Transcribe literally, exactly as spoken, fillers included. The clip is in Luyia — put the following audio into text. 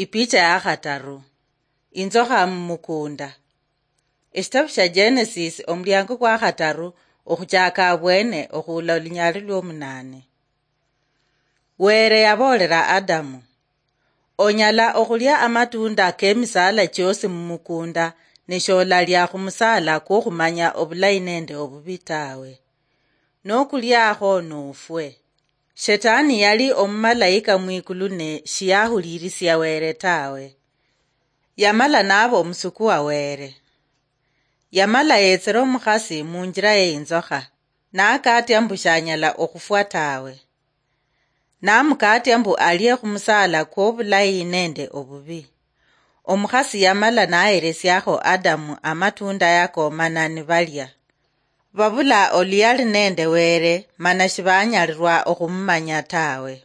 Ipicha ya khataru. Inzokha mumukunda. Eshitabu shia Genesis, omuliango kwa khataru, okhuchaka abwene okhuula olunyali lwomunane. Were yaboolera Adamu, "Onyala okhulia amatunda k'emisaala chiosi mumukunda, ne sholalia khumusaala kwokhumanya obulayi nende obubi tawe. Nokuliakho nofwe." Shetani yali omumalayika mwikulu ne shiyahulirisia Were tawe. Yamala naba omusuku wa Were. Yamala yetsera omukhasi munjira ye inzokha, nakatia mbu shanyala okhufwa tawe. Namukatia mbu alie khumusaala kwobulayi nende obubi. Omukhasi yamala naheresiakho Adamu amatunda yako mana nibalia. Babula oluyali nende Were, mana shibanyalirwa okhumumanya tawe.